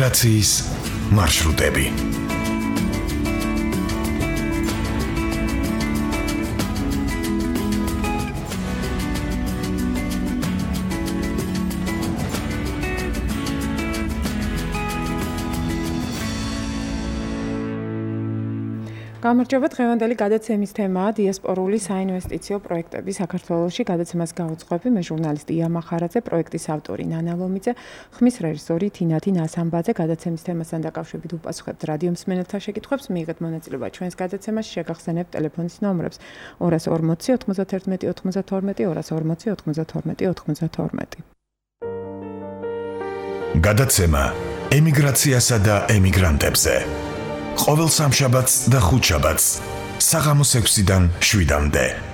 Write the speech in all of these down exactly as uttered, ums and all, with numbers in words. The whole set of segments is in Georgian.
ემიგრაციის მარშრუტები. გამარჯობა, დღევანდელი გადაცემის თემაა დიასპორული საინვესტიციო პროექტები საქართველოში. გადაცემას გაუძღვები მე ჟურნალისტი ია მახარაძე, პროექტის ავტორი ნანა ლომიძე, ხმის რეჟისორი თინათი ნასამბაძე. გადაცემის თემასთან დაკავშირებით უპასუხებთ რადიო მსმენელთა შეკითხვებს, მიიღეთ მონაწილეობა ჩვენს გადაცემაში, შეგახსენებთ ტელეფონის ნომრებს ორას ორმოცი ოცდაათერთმეტი ოცდათორმეტი ორას ორმოცი ოცდათორმეტი ოცდათორმეტი. გადაცემა ემიგრაციასა და ემიგრანტებზე. ყოველ სამშაბათს და ხუთშაბათს საღამოს ექვსიდან შვიდამდე.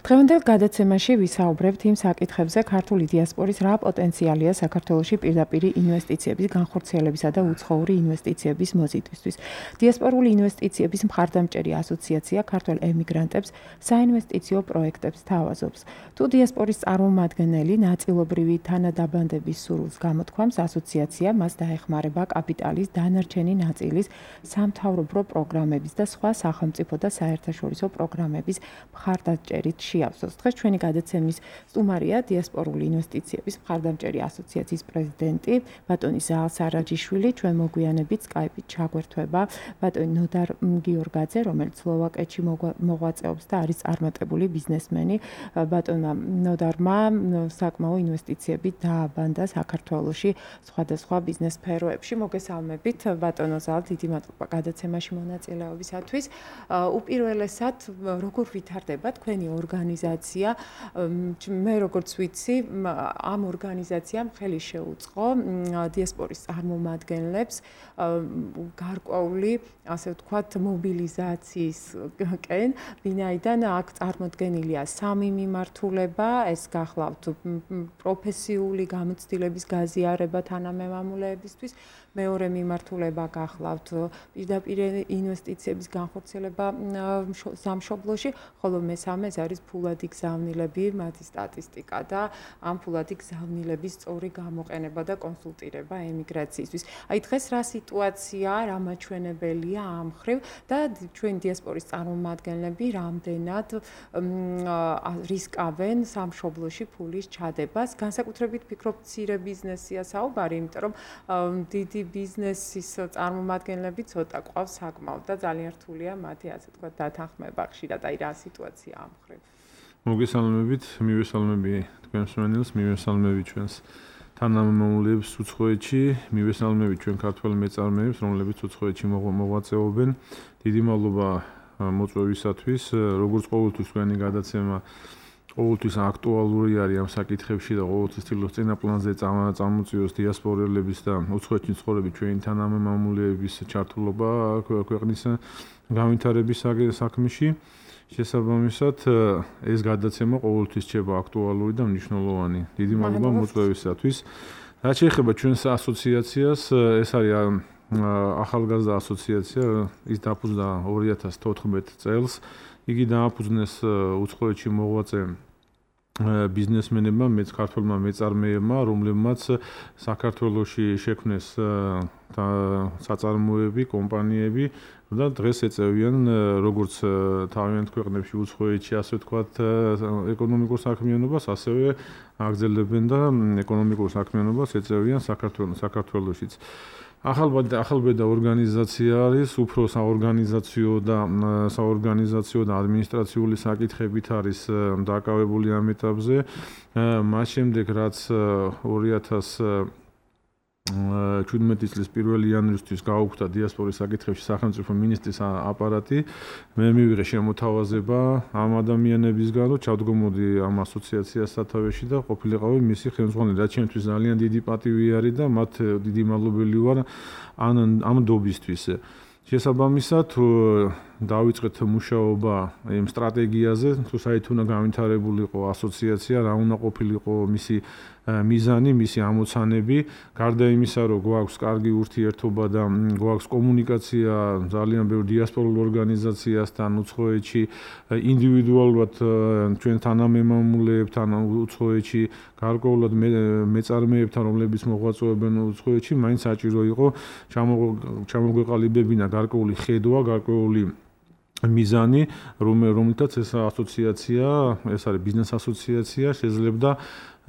დღევანდელ გადაცემაში ვისაუბრებთ იმ საკითხებზე, ქართული დიასპორის რა პოტენციალია საქართველოში პირდაპირ ინვესტიციების განხორციელებისა და უცხოური ინვესტიციების მოზიდვისთვის. დიასპორული ინვესტიციების მხარდამჭერი ასოციაცია ქართველ ემიგრანტებს საინვესტიციო პროექტებს თავაზობს. თუ დიასპორის წარმომადგენელი ნაწილობრივი თანადაბანდების სურვილს გამოთქვამს, ასოციაცია მას დაეხმარება კაპიტალის დანარჩენი ნაწილის სამთავრობო პროგრამების და სხვა სახელმწიფო და საერთაშორისო პროგრამების მხარდამჭერით შეავსოს. დღეს ჩვენი გადაცემის სტუმარია დიასპორული ინვესტიციების მხარდამჭერი ასოციაციის პრეზიდენტი ბატონი ზაალ სარაჯიშვილი. ჩვენ მოგვიანებით სკაიპით ჩაგვერთვება ბატონი ნოდარ გიორგაძე, რომელიც სლოვაკეთში მოღვაწეობს და არის წარმატებული ბიზნესმენი. ბატონმა ნოდარმა საკმაო ინვესტიციები დააბანდა საქართველოში სხვადასხვა ბიზნეს სფეროებში. მოგესალმებით ბატონო ზაალ, დიდი მადლობა გადაცემაში მონაწილეობისათვის. უპირველესად, როგორ ვითარდება თქვენი ორგანიზაცია? მე როგორც ვიცი, ამ ორგანიზაციამ ხელი შეუწყო დიასპორის წარმომადგენლებს გარკვეული, ასე ვთქვათ, მობილიზაციისკენ, ვინაიდან აქ წარმოდგენილია სამი მიმართულება, ეს გახლავთ პროფესიული გამოცდილების გაზიარება თანამემამულეებისთვის, მეორე მიმართულება გახლავთ პირდაპირ ინვესტიციების განხორციელება სამშობლოში, ხოლო მესამე ეს არის ფულადი გზავნილები, მათი სტატისტიკა და ამ ფულადი გზავნილების სწორი გამოყენება და კონსულტირება ემიგრაციისთვის. აი დღეს რა სიტუაცია, რა მაჩვენებელია ამ მხრივ და ჩვენ დიასპორის წარმომადგენლები რამდენად რისკავენ სამშობლოში ფულის ჩადებას? განსაკუთრებით ფიქრობ მცირე ბიზნესია საუბარი, იმიტომ რომ დიდი ბიზნესის წარმომადგენლები ცოტა ყავს საკმაოდ და ძალიან რთულია მათი, ასე ვთქვათ, დათანხმება ხშირად. აი რა სიტუაცია ამ მხრივ? მოგესალმებით, მივესალმები თქვენ მსმენელს, მივესალმები ჩვენს თანამემამულეებს უცხოეთში, მივესალმები ჩვენ ქართველ მეწარმეებს, რომლებიც უცხოეთში მოღვაწეობენ. დიდი მადლობა მოწვევისათვის. როგორც ყოველთვის თქვენი გადაცემა ყოველთვის აქტუალური არის ამ საკითხებში და ყოველთვის ცდილობს წინა პლანზე წამოწიოს დიასპორელების და უცხოეთში ცხოვრები ჩვენი თანამემამულეების ჩართულობა ქვეყნის განვითარების საქმეში. შესაბამისად, ეს გადაცემა ყოველთვის რჩება აქტუალური და მნიშვნელოვანი. დიდი მადლობა მოწვევისათვის. რაც შეეხება ჩვენს ასოციაციას, ეს არის ახალგაზრდა ასოციაცია, ის დაფუძნდა ორი ათას თოთხმეტ წელს. იგი დააფუძნეს უცხოეთში მოღვაწე ბიზნესმენებმა, მეც ქართველმა მეწარმეებმა, რომლებმაც საქართველოში შექმნეს საწარმოები, კომპანიები და დღეს ეწევიან როგორც თავიანთ ქვეყნებში უცხოეთში, ასე ვთქვათ, ეკონომიკურ საქმიანობას, ასევე აგრძელებენ და ეკონომიკურ საქმიანობას ეწევიან საქართველოშიც. ახალბედა ორგანიზაცია არის, უფრო საორგანიზაციო და საორგანიზაციო და ადმინისტრაციული საკითხებით არის დაკავებული ამ ეტაპზე. მას შემდეგ, რაც ორი ათას შვიდმეტი წლის პირველი იანვრისთვის გაუქმდა დიასპორის საკითხებში სახელმწიფო მინისტრის აპარატი, მე მივიღე შემოთავაზება ამ ადამიანებისგან, რომ ჩავდგომოდი ამ ასოციაციას სათავეში და ყოფილიყავი მისი ხელმძღვანელი, რაც ჩემთვის ძალიან დიდი პატივი არის და მათ დიდი მადლობელი ვარ ამ ამ დობისთვის. შესაბამისად, დავიწყეთ მუშაობა იმ სტრატეგიაზე, თუ საით უნდა განვითარებულიყო ასოციაცია, რა უნდა ყოფილიყო მისი მიზანი, მისი ამოცანები, გარდა იმისა, რომ გვაქვს კარგი ურთიერთობა და გვაქვს კომუნიკაცია ძალიან ბევრ დიასპორულ ორგანიზაციასთან უცხოეთში, ინდივიდუალურად ჩვენ თანამემამულეებთან უცხოეთში, გარკვეულად მეწარმეებთან, რომლებიც მოღვაწეობენ უცხოეთში, მაინც საჭირო იყო ჩამოგვეყალიბებინა გარკვეული ხედვა, გარკვეული მიზანი, რომელთაც ეს ასოციაცია, ეს არის ბიზნეს ასოციაცია, შეძლებდა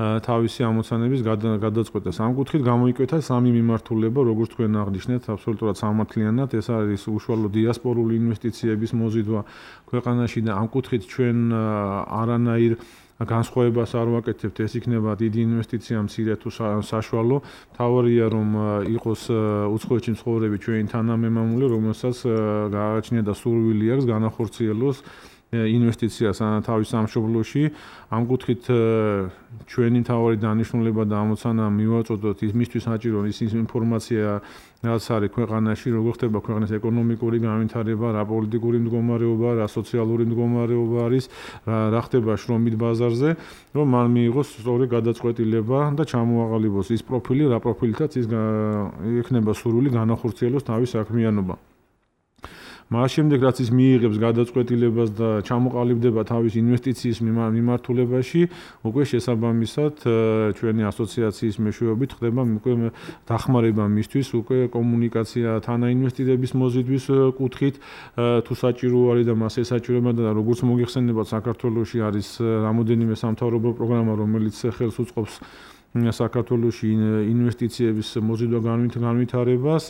თავისი ამოცანების გადაწყვეტას. ამ კუთხით გამოიკვეთა სამი მიმართულება, როგორც თქვენ აღნიშნეთ, აბსოლუტურად სამართლიანად, ეს არის უშუალო დიასპორული ინვესტიციების მოზიდვა ქვეყანაში და ამ კუთხით ჩვენ არანაირ განსხვავებას არ ვაკეთებთ, ეს იქნება დიდი ინვესტიცია, მცირე თუ საშუალო. თავარია რომ იყოს უცხოეთში მცხოვრები ჩვენი თანამემამულე, რომელსაც გააჩნია და სურვილი აქვს განახორციელოს ინვესტიციას თავის სამშობლოში. ამ კუთხით ჩვენი თავარი დანიშნულება და ამოცანა მივაწოდოთ იმისთვის საჭირო ის ინფორმაცია, რაც არის ქვეყანაში, როგორ ხდება ქვეყნის ეკონომიკური განვითარება, რა პოლიტიკური მდგომარეობა, რა სოციალური მდგომარეობა არის, რა ხდება შრომით ბაზარზე, რომ მან მიიღოს სწორი გადაწყვეტილება და ჩამოაყალიბოს ის პროფილი, რა პროფილითაც ის ექნება სურვილი განახორციელოს თავის საქმიანობა. მას შემდეგ რაც ის მიიღებს გადაწყვეტილებას და ჩამოყალიბდება თავის ინვესტიციის მიმართულებაში, უკვე შესაბამისად ჩვენი ასოციაციის მეშვეობით ხდება უკვე დახმარება მისთვის, უკვე კომუნიკაცია თანაინვესტირების მოზიდვის კუთხით, თუ საჭირო არის და მას ესაჭიროება და როგორც მოგიხსენებათ, საქართველოში არის რამოდენიმე სამთავრობო პროგრამა, რომელიც ხელს უწყობს საქართველოში ინვესტიციების მოზიდვა განვითარებას.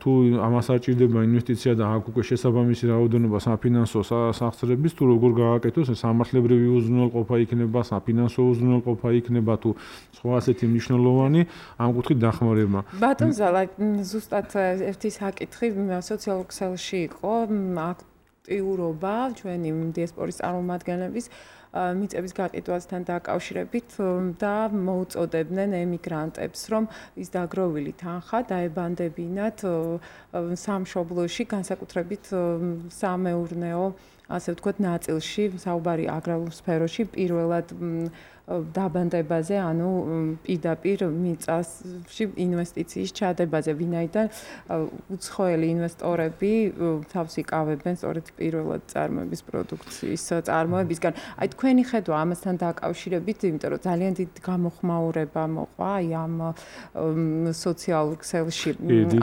თუ ამას საჭირდება ინვესტიცია და აქ უკვე შესაბამისი რაოდენობა საფინანსო სახსრების, თუ როგორ გააკეთოს, სამართლებრივი უზრუნველყოფა იქნება, საფინანსო უზრუნველყოფა იქნება, თუ სხვა ასეთი მნიშვნელოვანი ამ კუთხით დახმარება. ბატონ ზალა, ზუსტად ერთი საკითხი სოციალურ ქსელში იყო აქტიურობა ჩვენი დიასპორის წარმომადგენლების მიწების გაკეთვასთან დაკავშირებით და მოუწოდებდნენ ემიგრანტებს, რომ ის დაგროვილი თანხა დაებანდებინათ სამშობლოში, განსაკუთრებით სამეურნეო, ასე ვთქვათ, ნაწილში, საუბარი აგრარულ სფეროში, პირველად დაბანდებაზე, ანუ პირდაპირ მიწაში ინვესტიციის ჩადებაზე, ვინაიდან უცხოელი ინვესტორები თავს იკავებენ სწორედ პირველად წარმოების პროდუქციის წარმოებისგან. აი თქვენი ხედვა ამასთან დაკავშირებით, იმიტომ რომ ძალიან დიდი გამოხმაურება მოყვა აი ამ სოციალურ ქსელში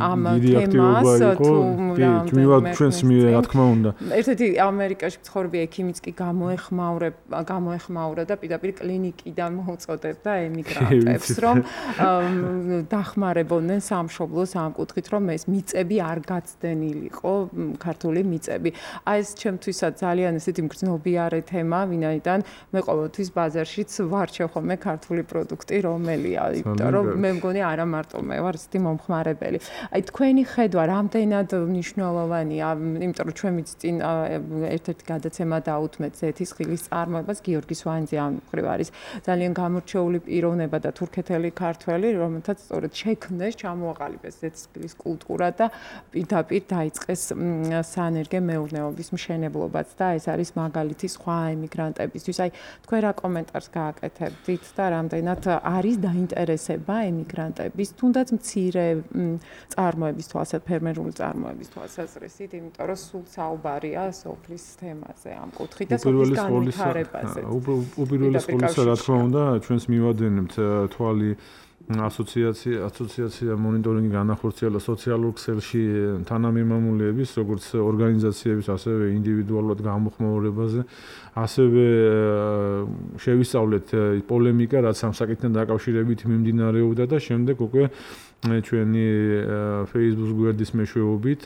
ამ თემას თუ მივად ჩვენს მიერ რა თქმა უნდა. ერთ-ერთი ამერიკაში მცხოვრები ექიმიც კი გამოეხმაურება, გამოეხმაურა და პირდაპირ კლინიკ კიდან მოუწოდებდა ემიგრანტებს, რომ დახმარებოდნენ სამშობლოს ამ კუთხით, რომ ეს მიწები არ გაცდენილიყო, ქართული მიწები. აი ეს ჩემთვისაც ძალიან ესეთი მგრძნობიარე თემა, ვინაიდან მე ყოველთვის ბაზარშიც ვარჩევ ხოლმე ქართული პროდუქტი, რომელია, იმიტომ რომ მე მგონი არა მარტო მე ვარ ესეთი მომხმარებელი. აი თქვენი ხედვა რამდენად მნიშვნელოვანია, იმიტომ რომ ჩვენ წინ ერთ-ერთი გადაცემა დაუთმეთ ზეთისხილის წარმოებას, გიორგი სვანიძე ამ მხრივ არის ძალიან გამორჩეული პიროვნება და თურქეთელი ქართველი, რომელთაც სწორედ შექმნეს, ჩამოაყალიბეს ზეთისხილის კულტურა და პირდაპირ დაიწყეს საენერგე მეურნეობის მშენებლობაც და ეს არის მაგალითი სხვა ემიგრანტებისთვის. აი თქვენ რა კომენტარს გააკეთებდით და რამდენად არის დაინტერესება ემიგრანტების, თუნდაც მცირე წარმოების თვალსაზრისით, ფერმერული წარმოების თვალსაზრისით, იმიტომ რომ სულ საუბარია სოფლის თემაზე, ამ კუთხით და სოფლის განვითარებაზე. უპირველეს ყოვლისა, რა თქმა უნდა, ჩვენს მივადენებთ თვალი ასოციაცია ასოციაცია მონიტორინგი განახორციელა სოციალურ ქსელში თანამემამულეების, როგორც ორგანიზაციების, ასევე ინდივიდუალურად გამოხმაურებაზე, ასევე შევისწავლეთ პოლემიკა, რაც ამ საკითხთან დაკავშირებით მიმდინარეობდა და შემდეგ უკვე ჩვენი Facebook გვერდის მეშვეობით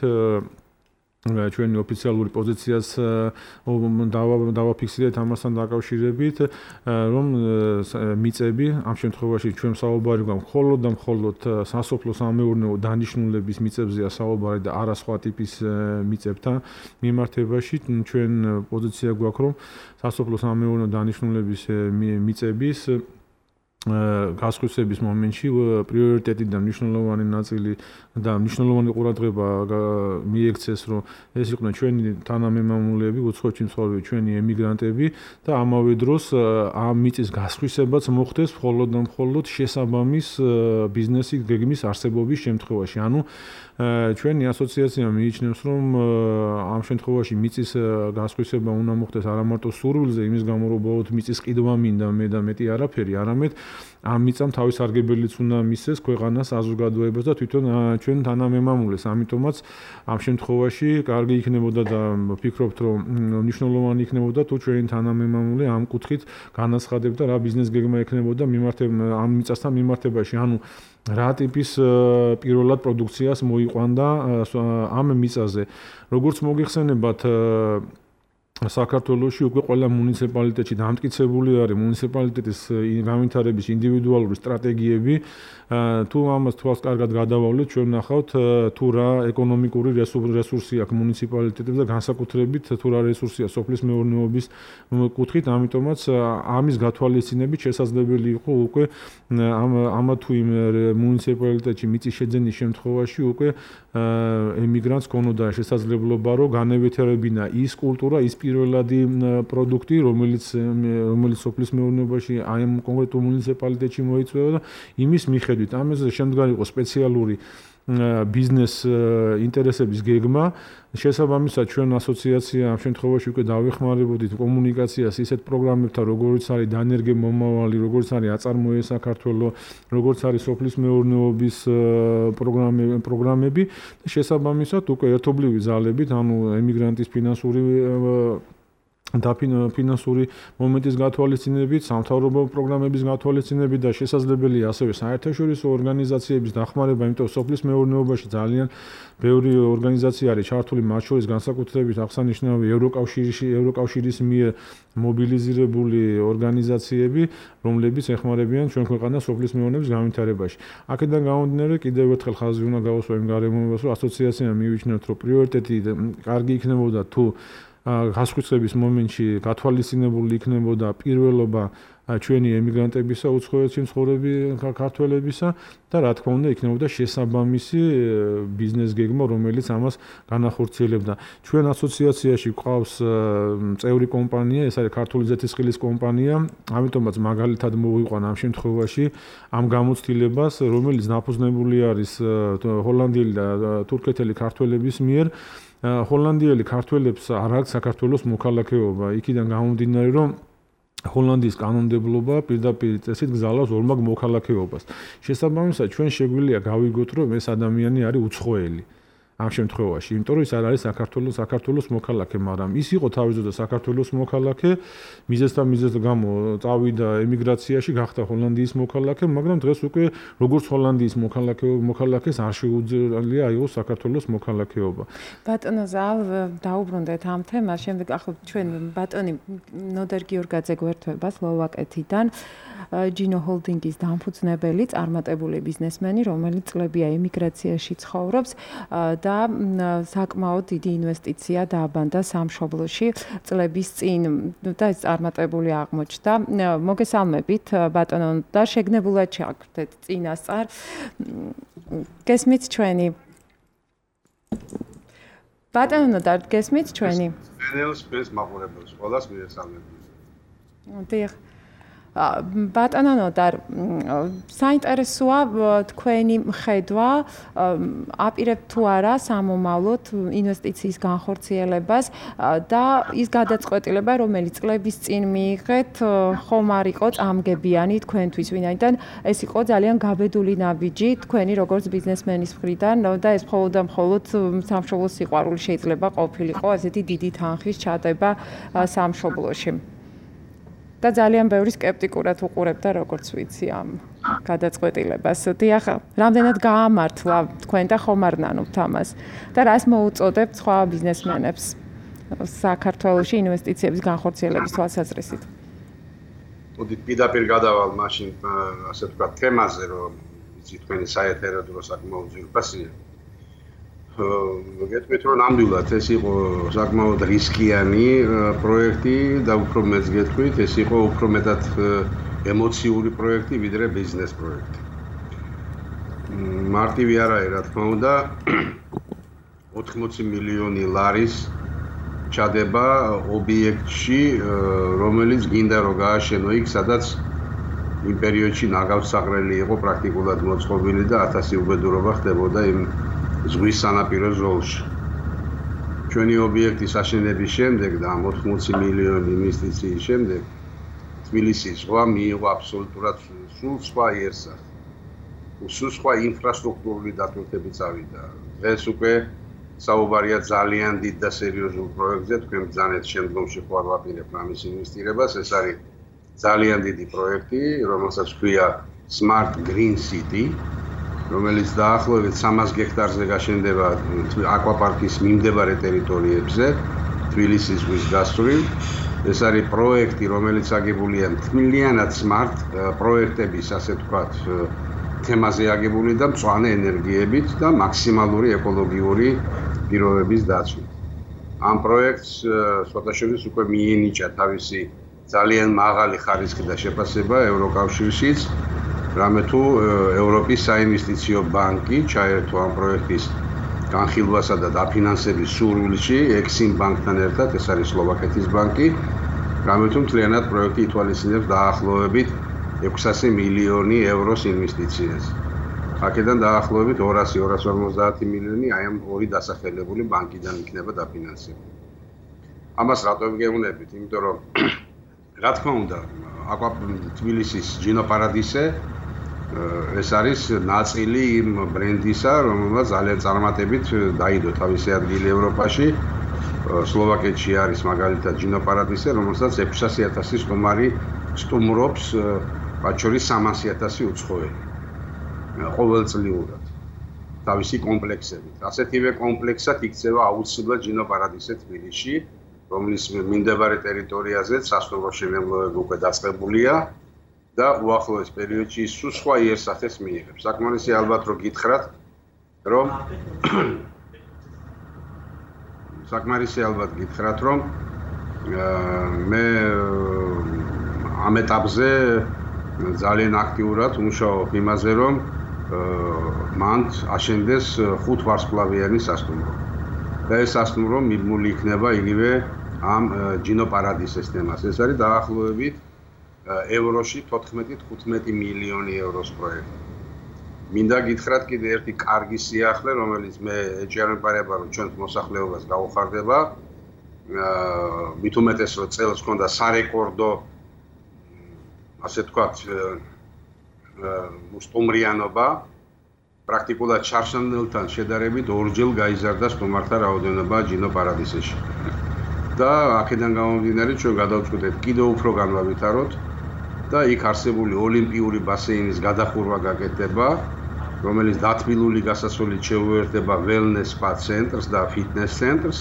ჩვენი ოფიციალური პოზიციას დავაფიქსირეთ ამასთან დაკავშირებით, რომ მიწები ამ შემთხვევაში ჩვენ საუბარი გვაქვს მხოლოდ და მხოლოდ სასოფლო სამეურნეო დანიშნულების მიწებზეა საუბარი და არა სხვა ტიპის მიწებთან მიმართებაში. ჩვენ პოზიცია გვაქვს, რომ სასოფლო სამეურნეო დანიშნულების მიწების გასხვისების მომენტში პრიორიტეტი და მნიშვნელოვანი ნაწილი და მნიშვნელოვანი ყურადღება მიექცეს, რომ ეს იყვნენ ჩვენი თანამემამულეები, უცხოეთში მცხოვრები ჩვენი ემიგრანტები და ამავე დროს ამ მიწის გასხვისებაც მოხდეს მხოლოდ და მხოლოდ შესაბამის ბიზნესი გეგმის არსებობის შემთხვევაში. ანუ ჩვენი ასოციაცია მიიჩნევს, რომ ამ შემთხვევაში მიწის გასხვისება უნდა მოხდეს არა მარტო სურვილზე, იმის გამო რომ ბოლოდ მიწის ყიდვა მინდა მე და მეტი არაფერი, არამედ ამ მიწამ თავის სარგებელიც უნდა მისცეს ქვეყანას, საზოგადოებას და თვითონ ჩვენ თანამემამულეს. ამიტომაც ამ შემთხვევაში კარგი იქნებოდა და ვფიქრობთ, რომ მნიშვნელოვანი იქნებოდა თუ ჩვენი თანამემამულე ამ კუთხით განაცხადებდა რა ბიზნეს გეგმა ექნებოდა მიმართება ამ მიწასთან მიმართებაში. ანუ რა ტიპის პირველად პროდუქციას მოიყვანდა ამ მიწაზე. როგორც მოგიხსენებათ, საქართველოში უკვე ყველა მუნიციპალიტეტში დამტკიცებული არის მუნიციპალიტეტის განვითარების ინდივიდუალური სტრატეგიები. თუ ამას თვალს კარგად გადავავლეთ, ჩვენ ვნახავთ თუ რა ეკონომიკური რესურსი აქვს მუნიციპალიტეტებს და განსაკუთრებით თუ რა რესურსია სოფლის მეურნეობის კუთხით. ამიტომაც ამის გათვალისწინებით შესაძლებელი იყო უკვე ამ ამა თუ იმ მუნიციპალიტეტში მიწის შეძენის შემთხვევაში უკვე ემიგრანტს ქონოდა შესაძლებლობა, რომ განევითარებინა ის კულტურა, ის პირველადი პროდუქტი, რომელიც რომელიც სოფლის მეურნეობაში აი ამ კონკრეტულ მუნიციპალიტეტში მოიწვევა და იმის მიხედვით ამაზე შემდგარი იყო სპეციალური ბიზნეს ინტერესების გეგმა. შესაბამისად ჩვენ ასოციაცია ამ შემთხვევაში უკვე დავეხმარებოდით კომუნიკაციას ისეთ პროგრამებთან, როგორიც არის დანერგე მომავალი, როგორც არის აწარმოე საქართველო, როგორც არის სოფლის მეურნეობის პროგრამები და შესაბამისად უკვე ერთობლივი ძალებით, ანუ ემიგრანტის ფინანსური და ფინანსური მომენტის გათვალისწინებით, სამთავრობო პროგრამების გათვალისწინებით და შესაძლებელია ასევე საერთაშორისო ორგანიზაციების დახმარება, იმიტომ სოფლის მეურნეობაში ძალიან ბევრი ორგანიზაცია არის ჩართული, მათ შორის განსაკუთრებით აღსანიშნავი ევროკავშირის ევროკავშირის მიერ მობილიზირებული ორგანიზაციები, რომლებიც ეხმარებიან ჩვენ ქვეყანას სოფლის მეურნეობის განვითარებაში. აქედან გამომდინარე, კიდევ ერთხელ ხაზი უნდა გავუსვა იმ გარემოებას, რომ ასოციაციამ მივიჩნევთ, რომ პრიორიტეტი კარგი იქნებოდა თუ გასხვისების მომენტში გათვალისწინებული იქნებოდა პირველობა ჩვენი ემიგრანტებისა, უცხოეთში მცხოვრები ქართველებისა და რა თქმა უნდა იქნებოდა შესაბამისი ბიზნეს გეგმა, რომელიც ამას განახორციელებდა. ჩვენ ასოციაციაში გვყავს წევრი კომპანია, ეს არის ქართული ზეთისხილის კომპანია, ამიტომაც მაგალითად მოვიყვანა ამ შემთხვევაში ამ გამოცდილებას, რომელიც დაფუძნებული არის ჰოლანდიელი და თურქეთელი ქართველების მიერ. ჰოლანდიელი ქართველებს არ აქვს საქართველოს მოქალაქეობა. იქიდან გამომდინარე, რომ ჰოლანდიის კანონმდებლობა პირდაპირ წესით გზავნავს ორმაგ მოქალაქეობას. შესაბამისად, ჩვენ შეგვიძლია გავიგოთ, რომ ეს ადამიანი არის უცხოელი. ამ შემთხვევაში, იმიტომ რომ ის არ არის საქართველოს საქართველოს მოქალაქე, მაგრამ ის იყო თავისუფლად საქართველოს მოქალაქე, მიზეზთან მიზეზ გამო წავიდა ემიგრაციაში, გახდა ჰოლანდიის მოქალაქე, მაგრამ დღეს უკვე როგორც ჰოლანდიის მოქალაქე მოქალაქეს არ შეუძლია აიღოს საქართველოს მოქალაქეობა. ბატონო ზალ, დაუბრუნდეთ ამ თემას, შემდეგ ახლა ჩვენ ბატონი ნოდარ გიორგაძე გვერდება სლოვაკეთიდან, ჯინო ჰოლდინგის დამფუძნებელი, წარმატებული ბიზნესმენი, რომელიც წლებია ემიგრაციაში ცხოვრობს და საკმაოდ დიდი ინვესტიცია დააბანდა სამშობლოში წლების წინ და ეს წარმატებული აღმოჩნდა. მოგესალმებით ბატონო და შეგნებულად ჩაგდეთ წინასწარ. გესმით ჩვენი ბატონო და გესმით ჩვენი ენელს ეს მაყურებელს ყველას მიესალმებით. დიახ. ბატონო ნოდარ, საინტერესოა თქვენი მხედვა, აპირებთ თუ არა სამომავლოდ ინვესტიციის განხორციელებას და ის გადაწყვეტილება, რომელიც წლების წინ მიიღეთ, ხომ არ იყო წამგებიანი თქვენთვის, ვინაიდან ეს იყო ძალიან გაბედული ნაბიჯი თქვენი როგორც ბიზნესმენის მხრიდან და ეს მხოლოდ და მხოლოდ სამშობლოს სიყვარული შეიძლება ყოფილიყო, ასეთი დიდი თანხის ჩადება სამშობლოში. და ძალიან ბევრი სკეპტიკურად უყურებდა როგორც ვიცი ამ გადაწყვეტილებას. დიახ, რამდენად გაამართლა თქვენ და ხომ არ ნანობთ ამას და რას მოუწოდებთ სხვა ბიზნესმენებს საქართველოში ინვესტიციების განხორციელების თვალსაზრისით? მოდი პირდაპირ გადავალ მაშინ ასე ვთქვათ თემაზე, რომ იცი თქვენი საეთერო დრო საკმაოდ ძვირფასია. გეტყვით რომ ნამდვილად ეს იყო საკმაოდ რისკიანი პროექტი და უფრო მეც გეტყვით ეს იყო უფრო მეტად ემოციური პროექტი, ვიდრე ბიზნეს პროექტი. მარტივი არაა, რა თქმა უნდა, ოთხმოცი მილიონი ლარის ჩადება ობიექტში, რომელიც გინდა რომ გააშენო იქ, სადაც იმ პერიოდში ნაგავსაღრელი იყო პრაქტიკულად მოწყობილი და ათასი უბედურობა ხდებოდა იმ ზღვის სანაპირო ზოლში. ჩვენი ობიექტის აშენების შემდეგ და ოთხმოცი მილიონი ინვესტიციის შემდეგ თბილისის ზღვა მიიღო აბსოლუტურად სულ სხვა იერსახე. სულ სხვა ინფრასტრუქტურული დატვირთები წავიდა. დღეს უკვე საუბარია ძალიან დიდ და სერიოზულ პროექტზე, თქვენ ბრძანეთ შემდგომში ხوار ვაპირებთ ამის ინვესტირებას. ეს არის ძალიან დიდი პროექტი, რომელსაც ჰქვია Smart Green City, რომელიც დაახლოებით სამას გექტარზე გაშენდება აკვაპარკის მიმდებარე ტერიტორიებზე, თბილისის ზღვის გასწვრივ. ეს არის პროექტი, რომელიც აგებულია მთლიანად smart პროექტების, ასე ვთქვათ, თემაზე აგებული და მწვანე ენერგიებით და მაქსიმალური ეკოლოგიური პირობების დაცვით. ამ პროექტს სხვადასხვა უკვე მიენიჭა თავისი ძალიან მაღალი ხარისხი და შეფასება ევროკავშირშიც, რამე თუ ევროპის საინვესტიციო ბანკი ჩაერთო ამ პროექტის განხილვასა და დაფინანსების სურვილში ექსიმ ბანკთან ერთად, ეს არის სლოვაკეთის ბანკი, რამე თუ მთლიანად პროექტი ითვალისწინებს დაახლოებით ექვსასი მილიონი ევროს ინვესტიციას. აქედან დაახლოებით ორასი ორას ორმოცდაათი მილიონი აი ამ ორი დასახელებული ბანკიდან იქნება დაფინანსებული. ამას რატომ გეუბნებით? იმიტომ რომ რა თქმა უნდა, აკვა თბილისის ჯინო პარადისე ეს არის ნაწილი იმ ბრენდისა, რომელმაც ძალიან წარმატებით დაიდო თავისი ადგილი ევროპაში. სლოვაკეთში არის მაგალითად ჯინო პარადისე, რომელსაც ექვსასი ათასი სტუმარი სტუმრობს, მათ შორის სამასი ათასი უცხოელი. ყოველწლიურად თავისი კომპლექსებით. ასეთივე კომპლექსად იქცევა აუცილებლად ჯინო პარადისე თბილისში, რომლის მიმდებარე ტერიტორიაზე სასტუმრო შემემლოება უკვე დაწყებულია და უახლოეს პერიოდში სულ სხვა იერსახეს მიიღებს. საკმარისი ალბათ რომ გითხრათ, რომ საკმარისი ალბათ გითხრათ, რომ მე ამ ეტაპზე ძალიან აქტიურად ვმუშაობ იმაზე, რომ მან აშენდეს ხუთ ვარსკვლავიანი სასტუმრო. და ეს სასტუმრო მიბმული იქნება იგივე ამ ჯინო პარადისეს თემას. ეს არის დაახლოებით ევროში თოთხმეტი თხუთმეტი მილიონი ევროს პროექტი. მინდა გითხრათ კიდე ერთი კარგი სიახლე, რომელიც მე ეჭიანებარება, რომ ჩვენს მოსახლეობას გაუხარდება. მით უმეტეს, რომ წელს ჰქონდა სარეკორდო, ასე ვთქვათ, სტუმრიანობა. პრაქტიკულად ჩარშანელთან შედარებით ორჯერ გაიზარდა სტუმართა რაოდენობა ჯინო პარადისეში. და აქედან გამომდინარე ჩვენ გადავწყვიტეთ კიდევ უფრო განვავითაროთ და იქ არსებული ოლიმპიური ბასეინის გადახურვა გაკეთდება, რომელიც დათბილული გასასვლელით შეუერთდება wellness spa ცენტრს და fitness ცენტრს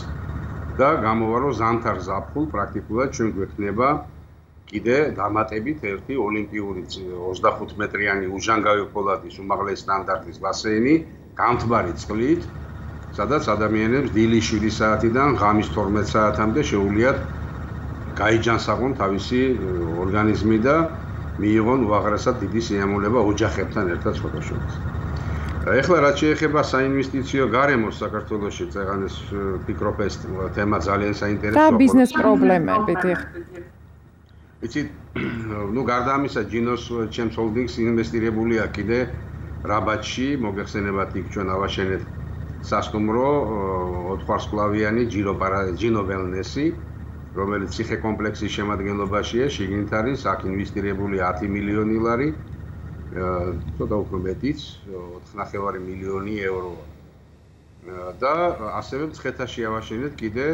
და გამოვა რომ ზამთარ ზაფხულ პრაქტიკულად ჩვენ გვექნება კიდე დამატებით ერთი ოლიმპიური ოცდახუთ მეტრიანი უჟანგავი ფოლადის უმაღლესი სტანდარტის ბასეინი, გამთბარი წყლით, სადაც ადამიანებს დილის შვიდი საათიდან ღამის თორმეტ საათამდე შეუძლიათ გაიჯანსაღონ თავისი ორგანიზმი და მიიღონ უაღრესად დიდი სიამოვნება ოჯახებთან ერთად სხვადასხვა. ეხლა რაც შეეხება საინვესტიციო გარემოს საქართველოში, წეგან ეს ფიქრობ ეს თემა ძალიან საინტერესოა. და ბიზნეს პრობლემები. იცით, ნუ გარდა ამისა, ჯინოს ჩემს ჰოლდინგს ინვესტირებულია კიდე რაბატში, მოგეხსენებათ იქ ჩვენ ავაშენეთ სასტუმრო ოთხვარსკვლავიანი ჯინო ველნესი, რომელიც ციხე კომპლექსის შემადგენლობაშია, შიგნით არის, აქ ინვესტირებული ათი მილიონი ლარი, ცოტა უფრო მეტიც, ოთხნახევარი მილიონი ევროა. და ასევე მცხეთაში ავაშენეთ კიდე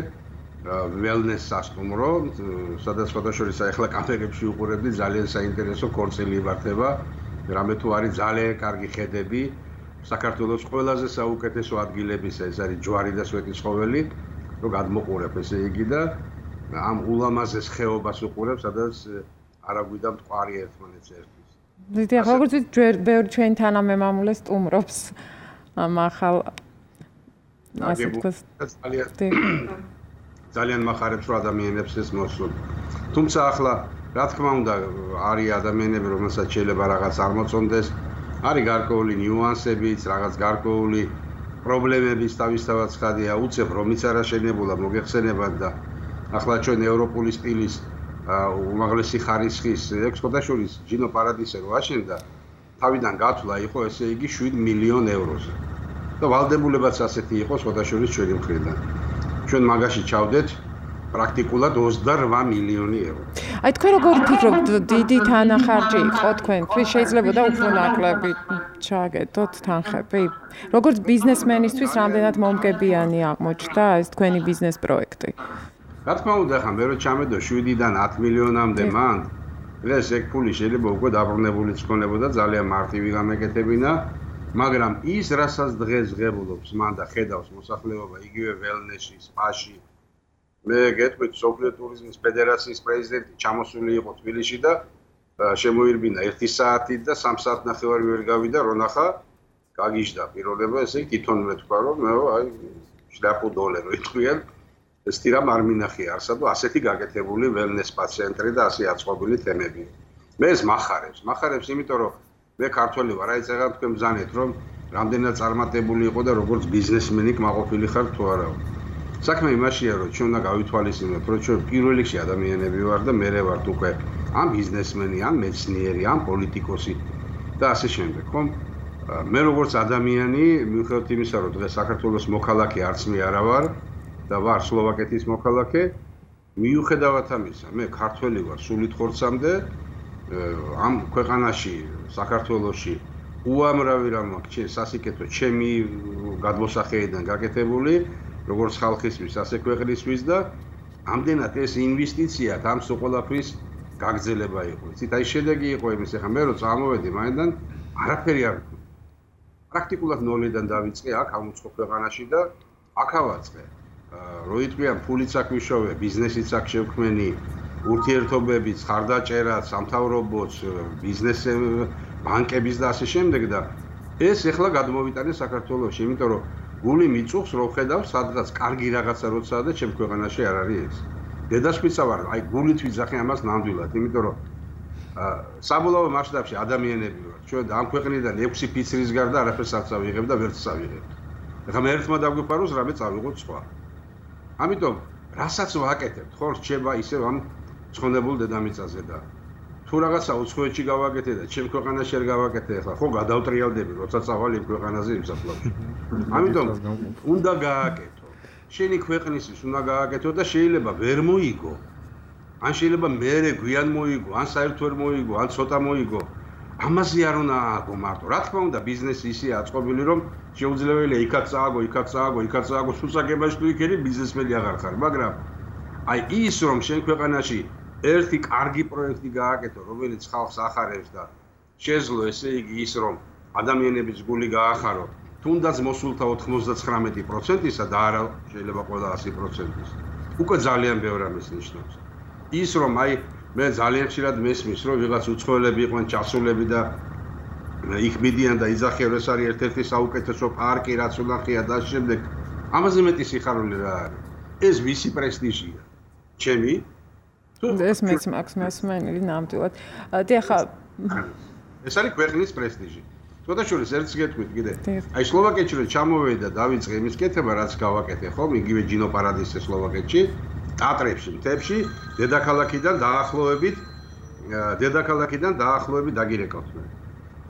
wellness სასტუმრო, სადაც სხვადასხვა ახლა კამერებში უყურებდი, ძალიან საინტერესო ქორწილი იმართება, რამე თუ არის ძალიან კარგი ხედები, საქართველოს ყველაზე საუკეთესო ადგილებისა, ეს არის ჯვარი და სვეტიცხოველი, რომ გადმოყურებ ესე იგი და ამ ულამაზეს ხეობას უყურებ, სადაც არა გვიდა მტკვარი ერთმანეთს ერთვის. დიდი ახლა როგორც ბევრი ჩვენი თანამემამულე სტუმრობს ამ ახალ ასე ვთქვათ. ძალიან მახარებს რომ ადამიანებს ეს მოსულ. თუმცა ახლა რა თქმა უნდა, არის ადამიანები, რომელსაც შეიძლება რაღაც არ მოწონდეს, არის გარკვეული ნიუანსებიც, რაღაც გარკვეული პრობლემებიც თავისთავად ხადია, უცებ რომიც არ აშენებულა მოგეხსენებათ და ახლა ჩვენ ევროპული სტილის უმაღლესი ხარისხის ექსპორტაშორის ჯინო პარადისე რო აშენდა, თავიდან გათვლა იყო ესე იგი შვიდ მილიონ ევროზე. და ვალდებულებაც ასეთი იყო სხვადასხვა ჩვენი მხრიდან. ჩვენ მაგაში ჩავდეთ პრაქტიკულად ოცდარვა მილიონი ევრო. აი თქვენ როგორ ფიქრობთ, დიდი თანახარჯი იყო თქვენთვის, შეიძლება და უფრო ნაკლები ჩააგეთოთ თანხები? როგორც ბიზნესმენისთვის რამდენად მომგებიანი აღმოჩნდა ეს თქვენი ბიზნეს პროექტი? რა თქმა უნდა, ხა მე რო ჩამედო შვიდიდან ათ მილიონამდე მან, დღეს ეგ ფული შეიძლება უკვე დაბრუნებულიც ქონებოდა ძალიან მარტივი გამეკეთებინა, მაგრამ ის რასაც დღეს ღებულობს მან და ხედავს მოსახლეობა იგივე ველნესში, სპაში. მე გეტყვით სოფლიო ტურიზმის ფედერაციის პრეზიდენტი ჩამოსული იყო თბილისში და შემოირბინა ერთი საათი და სამ საათნახევარი ვერ გავიდა, რო ნახა გაგიჟდა პიროვნება, ესე იგი თვითონ მე თქვა რომ მე აი შლაპუ დოლარო იტყვიან ეს თირამ არ მინახია არსად და ასეთი გაკეთებული ველნეს სპა ცენტრი და ასე აწყობილი თემები. მე ეს მახარებს, მახარებს იმიტომ რომ მე ქართველი ვარ, აი წეგან თქვენ ბრძანეთ რომ რამდენად წარმატებული იყო და როგორც ბიზნესმენი კმაყოფილი ხარ თუ არა. საქმე იმაშია რომ ჩვენ უნდა გავითვალისწინოთ რომ ჩვენ პირველ რიგში ადამიანები ვარ და მე ვარ უკვე ან ბიზნესმენი, ან მეცნიერი, ან პოლიტიკოსი და ასე შემდეგ, ხომ? მე როგორც ადამიანი, მიუხედავად იმისა რომ დღეს საქართველოს მოქალაქე არც მე არა ვარ და ვარ სლოვაკეთის მოქალაქე, მიუხედავად ამისა, მე ქართველი ვარ სულით ხორცამდე, ამ ქვეყანაში, საქართველოში უამრავი რამ აქვს სასიკეთო ჩემი გადმოსახედიდან გაკეთებული, როგორც ხალხისთვის, ასე ქვეყნისთვის და ამდენად ეს ინვესტიცია ამ სოყოლაფრის გაგრძელება იყო. იცით, აი შედეგი იყო იმის, ახლა მე რო წამოვედი მაინდან არაფერი არ ვქნა. პრაქტიკულად ნოლიდან დავიწყე აქ ამ უცხო ქვეყანაში და აქ ავაწყე. რო იტყვიან ფულიც აქ ვიშოვე, ბიზნესიც აქ შევქმენი, ურთიერთობებიც, ხარდაჭერაც, სამთავრობოც, ბიზნეს ბანკების და ასე შემდეგ და ეს ეხლა გადმოვიტანე საქართველოში, იმიტომ რომ გული მიწუხს რო ხედავ, სადღაც კარგი რაღაცა როცაა და ჩემ ქვეყანაში არ არის ეს. დედაშვილიცა ვარ, აი გულით ვიძახე ამას ნამდვილად, იმიტომ რომ საბოლოო მასშტაბში ადამიანები ვარ. ჩვენ ამ ქვეყნიდან ექვსი ფიცრის გარდა არაფერს არ წავიღებ და ვერც წავიღებ. ეხლა მე ერთმა დაგვიფაროს, რამე წავიღოთ სხვა. ამიტომ რასაც ვაკეთებთ, ხო, რჩება ისევ ამ ცხონებულ დედამიწაზე და თუ რაღაცა უცხოეთში გავაკეთე და ჩემ ქვეყანაში არ გავაკეთე, ახლა ხო გადავტრიალდები, როცა წავალ იმ ქვეყანაზე იმ საფლავში. ამიტომ უნდა გააკეთო. შენი ქვეყნისთვის უნდა გააკეთო და შეიძლება ვერ მოიგო. ან შეიძლება მერე გვიან მოიგო, ან საერთოდ ვერ მოიგო, ან ცოტა მოიგო. ამაზე არ უნდა ააგო მარტო. რა თქმა უნდა, ბიზნესი ისეა აწყობილი, რომ შეუძლებელია იქაც წააგო, იქაც წააგო, იქაც წააგო, სულსაგებაში თუ იქ ერი ბიზნესმენი აღარ ხარ, მაგრამ აი ის რომ შენ ქვეყანაში ერთი კარგი პროექტი გააკეთო, რომელიც ხალხს ახარებს და შეძლო ესე იგი ის რომ ადამიანების გული გაახარო, თუნდაც მოსულთა ოთხმოცდათხრამეტი პროცენტისა და არა შეიძლება ყველა ასი პროცენტის. უკვე ძალიან ბევრ ამის ნიშნავს. ის რომ აი მე ძალიან ხშირად მესმის რომ ვიღაც უცხოელები იყვნენ ჩასულები და იქ მიდიან და იძახიან ეს არის ერთ-ერთი საუკეთესო პარკი რაც უნახია და შემდეგ ამაზე მეტი სიხარული რა არის. ეს ვისი პრესტიჟია? ჩემი? ეს მეც მაქვს მასმენელი ნამდვილად. დიახა ეს არის ქვეყნის პრესტიჟი. თვითონ ერთს გეტყვით კიდე. აი სლოვაკეთში რომ ჩამოვედი და დავიწყე იმის კეთება რაც გავაკეთე ხომ, იგივე ჯინო პარადისე სლოვაკეთში, ტატრებში, მთებში, დედაქალაქიდან დაახლოებით დედაქალაქიდან დაახლოებით დაგირეკავთ მე.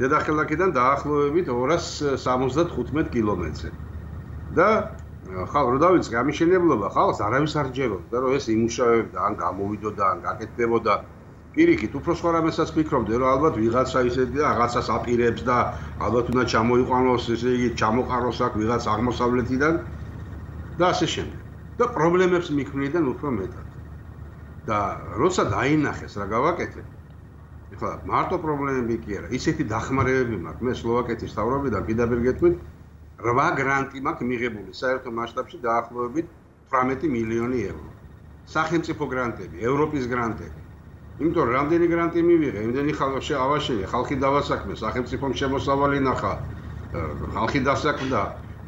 დედაქალაქიდან დაახლოებით ორას სამოცდათხუთმეტ კილომეტრზე. და ხალ რო დავიწყე ამიშენებლობა, ხალხს არავის არ ჯეროდა რომ ეს იმუშავებდა, ან გამოვიდოდა, ან გაკეთდებოდა. პირიქით, უფრო სხვა რამესაც ფიქრობდი, რომ ალბათ ვიღაცა ისეთი და რაღაცას აპირებს და ალბათ უნდა ჩამოიყვანოს, ესე იგი, ჩამოყაროს აქ ვიღაც აღმოსავლეთიდან და ასე შემდეგ. და პრობლემებს მიქმნიდან უფრო მეტად. და როცა დაინახეს რა გავაკეთე, ეხლა მარტო პრობლემები კი არა, ისეთი დახმარებები მაქვს. მე სლოვაკეთის მთავრობიდან პირდაპირ გეტყვით, რვა გრანტი მაქვს მიღებული საერთო მასშტაბში დაახლოებით თვრამეტი მილიონი ევრო. სახელმწიფო გრანტები, ევროპის გრანტები. იმიტომ რომ რამდენი გრანტი მივიღე, იმდენი ხალხი ავაშენე, ხალხი დავასაქმე, სახელმწიფომ შემოსავალი ნახა, ხალხი დასაქმდა,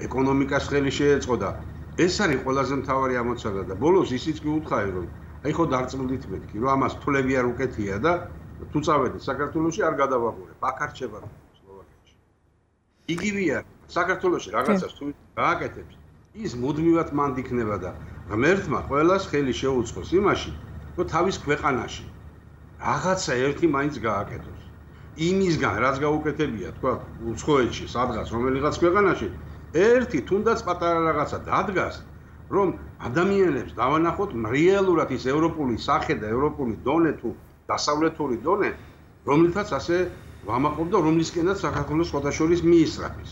ეკონომიკას ხელი შეეწყო და ეს არის ყველაზე მთავარი ამოცანა და ბოლოს ისიც კი უთხარი რომ აი ხო დარწმუნდით მეთქი, რომ ამას თვლები არ უკეთია და თუ წავედი საქართველოში არ გადავაგურებ, აქ არ რჩება სლოვაკეთში. იგივეა, საქართველოში რაღაცას თუ გააკეთებს, ის მუდმივად მანდ იქნება და ღმერთმა ყველას ხელი შეუწყოს იმაში, რომ თავის ქვეყანაში რაღაცა ერთი მაინც გააკეთოს. იმისგან რაც გაუკეთებია, თქვა, უცხოეთში, სადღაც რომელიღაც ქვეყანაში, ერთი თუნდაც პატარა რაღაცა დადგას, რომ ადამიანებს დავანახოთ რეალურად ის ევროპული სახე და ევროპული დონე თუ დასავლეთური დონე, რომლითაც ასე ვამაყობ და რომლისკენაც საქართველოს სხვადასხვა მიისწრაფის.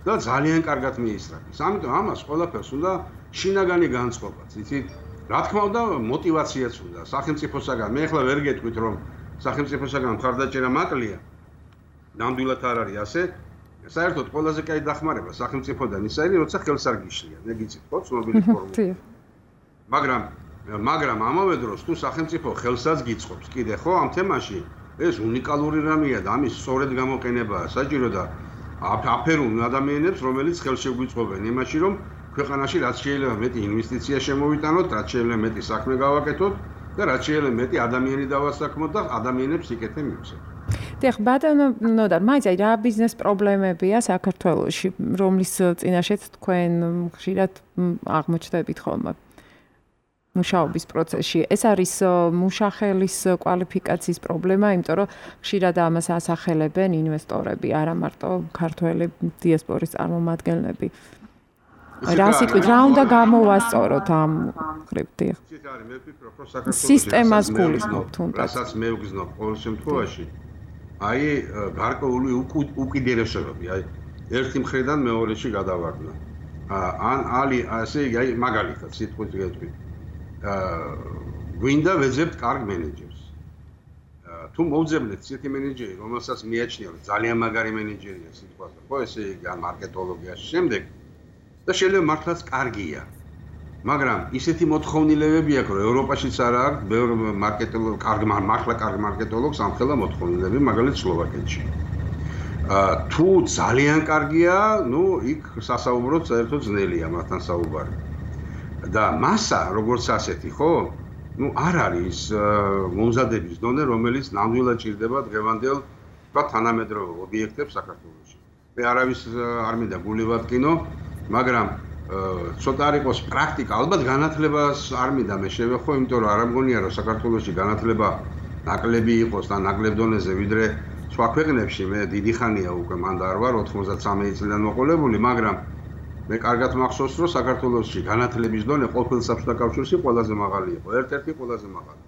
და ძალიან კარგად მიისწრაფის. ამიტომ ამას ყველაფერს უნდა შინაგანი განწყობაც, იცით? რა თქმა უნდა, мотиваციაც უნდა სახელმწიფოსაგან. მე ახლა ვერ გეტყვით, რომ სახელმწიფოსაგან მხარდაჭერა მაკლია. ნამდვილად არ არის ასე. საერთოდ ყველაზე კაი დახმარება სახელმწიფოდან ის არის, როცა ხელს არ გიშლიან. მე გიცით, ხო, ცნობილი ფორმულა. მაგრამ მაგრამ ამავე დროს თუ სახელმწიფო ხელსაც გიწყობს, კიდე ხო ამ თემაში ეს უნიკალური რამეა და ამის სწორედ გამოყენებაა საჭირო და აფერუნ ადამიანებს, რომელიც ხელს შეგვიწყობენ იმაში, რომ ქვეყანაში რაც შეიძლება მეტი ინვესტიცია შემოვიტანოთ, რაც შეიძლება მეტი საქმე გავაკეთოთ და რაც შეიძლება მეტი ადამიანი დავასაქმოთ და ადამიანებს იკეთე მივცეთ. დიახ, ბატონო ნოდარ, მაინც აი რა ბიზნეს პრობლემებია საქართველოში, რომლის წინაშეც თქვენ ხშირად აღმოჩნდებით ხოლმე მუშაობის პროცესში. ეს არის მუშახელის კვალიფიკაციის პრობლემა, იმიტომ რომ ხშირად ამას ასახელებენ ინვესტორები, არა მარტო ქართველი დიასპორის წარმომადგენლები. რა სიტყვით, რა უნდა გამოვასწოროთ ამ ხრივდი? სისტემას გულისხმობ თუნდაც. რასაც მე ვგზნობ ყოველ შემთხვევაში, აი გარკვეული უკიდურესობები, აი ერთი მხრიდან მეორეში გადავარდნა. ან ალი ასე აი მაგალითად სიტყვით გეტყვით. გვინდა ვეძებთ კარგ მენეჯერს. თუ მოვძებნეთ ისეთი მენეჯერი, რომელსაც მიაჩნია, რომ ძალიან მაგარი მენეჯერია სიტყვაზე, ხო, ესე იგი ან მარკეტოლოგიაში შემდეგ და შეიძლება მართლაც კარგია. მაგრამ ისეთი მოთხოვნილებები აქვს, რომ ევროპაშიც არ აქვს ბევრ მარკეტოლოგ, კარგ მართლა კარგ მარკეტოლოგს ამხელა მოთხოვნილები, მაგალითად სლოვაკეთში. თუ ძალიან კარგია, ნუ იქ სასაუბროდ საერთოდ ძნელია მათთან საუბარი. და მასა როგორც ასეთი, ხო? ნუ არ არის მომზადების დონე, რომელიც ნამდვილად ჭირდება დღევანდელ თქვა თანამედროვე ობიექტებს საქართველოში. მე არავის არ მინდა გული ვატკინო, მაგრამ ცოტა არ იყოს პრაქტიკა, ალბათ განათლებას არ მინდა მე შევეხო, იმიტომ რომ არ მგონია რომ საქართველოში განათლება ნაკლები იყოს და ნაკლებ დონეზე ვიდრე სხვა ქვეყნებში. მე დიდი ხანია უკვე მანდა არ ვარ ოცდაათი წლიდან მოყოლებული, მაგრამ მე კარგად მახსოვს, რომ საქართველოში განათლების დონე ყოფილ საბჭოთა კავშირში ყველაზე მაღალი იყო, ერთ-ერთი ყველაზე მაღალი.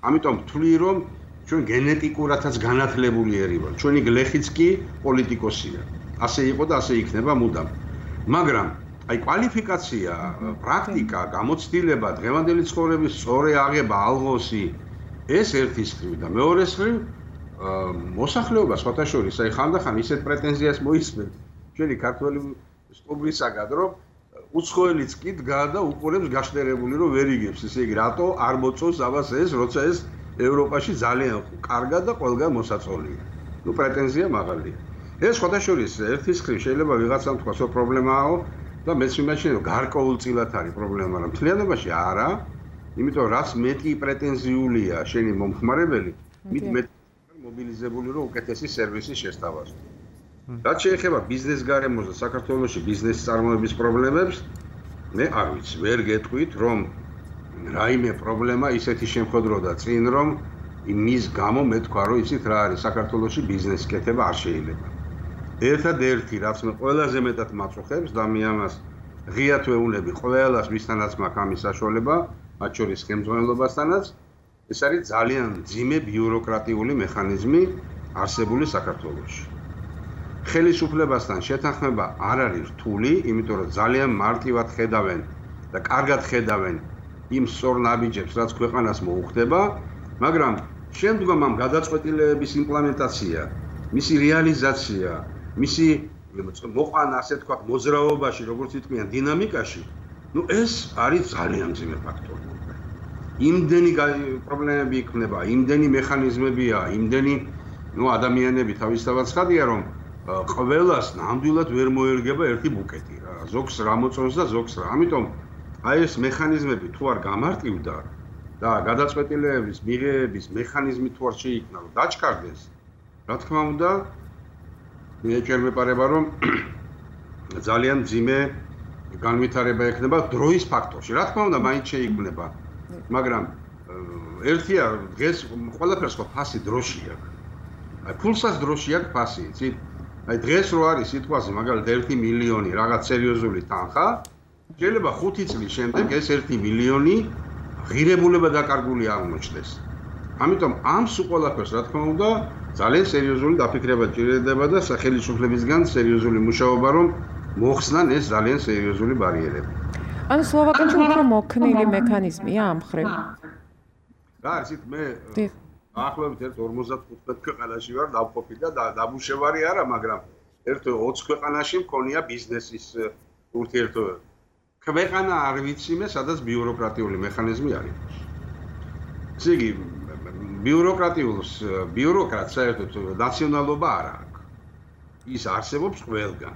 ამიტომ ვთვლი, რომ ჩვენ გენეტიკურადაც განათლებული ერი ვართ. ჩვენი გლეხიც კი პოლიტიკოსია. ასე იყო და ასე იქნება მუდამ. მაგრამ აი კვალიფიკაცია, პრაქტიკა, გამოცდილება, დღევანდელი ცხოვრების სწორი აღება, ალღოსი, ეს ერთის ხრივ და მეორეს ხრივ მოსახლეობა სხვათა შორის, აი ხანდახან ისეთ პრეტენზიას მოისმენ ჩვენი ქართველი სტუმრისაგან, რომ უცხოელიც კი დგა და უყურებს გაშტერებული, რომ ვერ იგებს, ესე იგი, რატო არ მოწონს ამას ეს, როცა ეს ევროპაში ძალიან კარგად და ყველგან მოსაწოლია. ნუ პრეტენზია მაღალია. ეს სხვათა შორის ერთის ხრივ შეიძლება ვიღაცამ თქვას, რომ პრობლემაო და მეც ვიმაჩნია, რომ გარკვეულწილად არის პრობლემა, მაგრამ მთლიანობაში არა, იმიტომ რაც მეტი პრეტენზიულია შენი მომხმარებელი, მით მეტ მობილიზებული, რომ უკეთესი სერვისი შესთავაზო. რაც შეეხება ბიზნეს გარემოს და საქართველოში ბიზნეს წარმოების პრობლემებს, მე არ ვიცი, ვერ გეტყვით, რომ რაიმე პრობლემა ისეთი შემხედროდა წინ, რომ იმის გამო მე თქვა, რომ იცით რა არის საქართველოში ბიზნეს კეთება არ შეიძლება. ერთადერთი, რაც მე ყველაზე მეტად მაწუხებს და მე ამას ღიად ვეუბნები ყველას, ვისთანაც მაქვს ამის საშუალება, მათ შორის ხელმძღვანელობასთანაც, ეს არის ძალიან მძიმე ბიუროკრატიული მექანიზმი არსებული საქართველოში. ხელისუფლებასთან შეთანხმება არ არის რთული, იმიტომ რომ ძალიან მარტივად ხედავენ და კარგად ხედავენ იმ სწორ ნაბიჯებს, რაც ქვეყანას მოუხდება, მაგრამ შემდგომ ამ გადაწყვეტილებების იმპლემენტაცია, მისი რეალიზაცია, მისი მოყვანა, ასე ვთქვათ, მოძრაობაში, როგორც იტყვიან, დინამიკაში, ნუ ეს არის ძალიან მძიმე ფაქტორი. იმდენი პრობლემები იქნება, იმდენი მექანიზმებია, იმდენი ნუ ადამიანები თავისთავად ცხადია, რომ ყველას ნამდვილად ვერ მოერგება ერთი ბუკეტი რა. ზოგს რა მოწონს და ზოგს რა. ამიტომ აი ეს მექანიზმები თუ არ გამარტივდა და გადაწყვეტილებების მიღების მექანიზმი თუ არ შეიქმნა, რომ დაჩქარდეს, რა თქმა უნდა, მე ჯერ მეპარება, რომ ძალიან ძიმე განვითარება ექნება დროის ფაქტორში. რა თქმა უნდა, მაინც შეიქმნება, მაგრამ ერთია დღეს ყველაფერს ხო ფასი დროში აქვს. აი ფულსაც დროში აქვს ფასი, იცით? აი დღეს რო არის სიტყვაზე, მაგალითად ერთი მილიონი რაღაც სერიოზული თანხა, შეიძლება ხუთი წლის შემდეგ ეს ერთი მილიონი ღირებულება დაკარგული აღმოჩნდეს. ამიტომ ამ სულ ყველაფერს, რა თქმა უნდა, ძალიან სერიოზული დაფიქრება ჭირდება და სახელმწიფოებისგან სერიოზული მუშაობა, რომ მოხსნან ეს ძალიან სერიოზული ბარიერები. ანუ სლოვაკეთში უფრო მოქნილი მექანიზმია ამ მხრივ. რა ისეთ მე ახლავე ერთ ორმოცდახუთ ქვეყანაში ვარ დავყოფილი და დამუშევარი არა, მაგრამ ერთ ოცი ქვეყანაში მქონია ბიზნესის ურთიერთობა. ქვეყანა არ ვიცი მე, სადაც ბიუროკრატიული მექანიზმი არის. ესე იგი, ბიუროკრატიულს ბიუროკრატს საერთოდ ნაციონალობა არ აქვს. ის არსებობს ყველგან.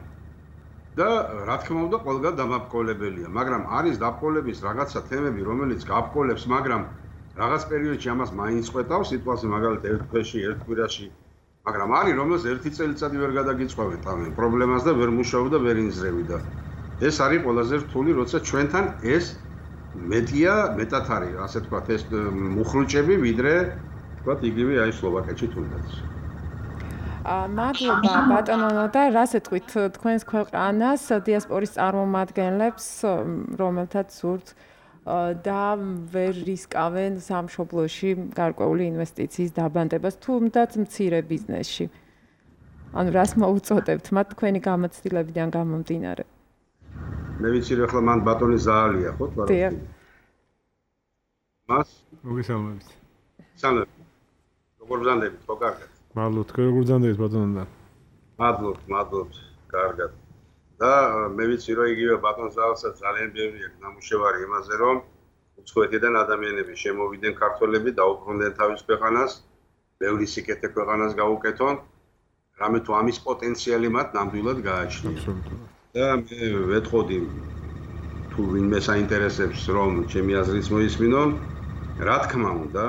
და რა თქმა უნდა, ყველგან დამაბკოლებელია, მაგრამ არის დაბკოლების რაღაცა თემები, რომელიც გაბკოლებს, მაგრამ რაღაც პერიოდში ამას მაინც ყვეტავს, სიტუაცია მაგალითად ერთ დღეში, ერთ კვირაში, მაგრამ არის, რომელს ერთი წელიწადი ვერ გადაგიწყვეტ ამ პრობლემას და ვერ მუშაობ და ვერ ინზრევი და ეს არის ყველაზე რთული, როცა ჩვენთან ეს მეტია, მეტად არის, ასე ვთქვათ, ეს მუხრუჭები, ვიდრე ვთქვათ, იგივე აი სლოვაკეთში თუნდაც. მადლობა ბატონო და რას ეთქვით თქვენს ქვეყანას დიასპორის წარმომადგენლებს, რომელთაც სურთ და ვერ რისკავენ სამშობლოში გარკვეული ინვესტიციის დაბანდებას, თუნდაც მცირე ბიზნესში. ანუ რას მოუწოდებთ მათ თქვენი გამოცდილებიდან გამომდინარე? მე ვიცი რომ ახლა მან ბატონი ზაალია, ხო თქო? დიახ. მას მოგესალმებით. სალამი. როგორ ბრძანდებით, ხო კარგად? მადლობთ, როგორ ბრძანდებით ბატონო? მადლობთ, მადლობთ, კარგად. და მე ვიცი რომ იგივე ბატონ ზაალსაც ძალიან ბევრი აქვს ნამუშევარი იმაზე, რომ უცხოეთიდან ადამიანები შემოვიდნენ ქართველები და უბრუნდნენ თავის ქვეყანას, ბევრი სიკეთე ქვეყანას გაუკეთონ, რამე თუ ამის პოტენციალი მათ ნამდვილად გააჩნია. და მე ვეთყოდი თუ ვინმე საინტერესებს რომ ჩემი აზრიც მოისმინონ, რა თქმა უნდა,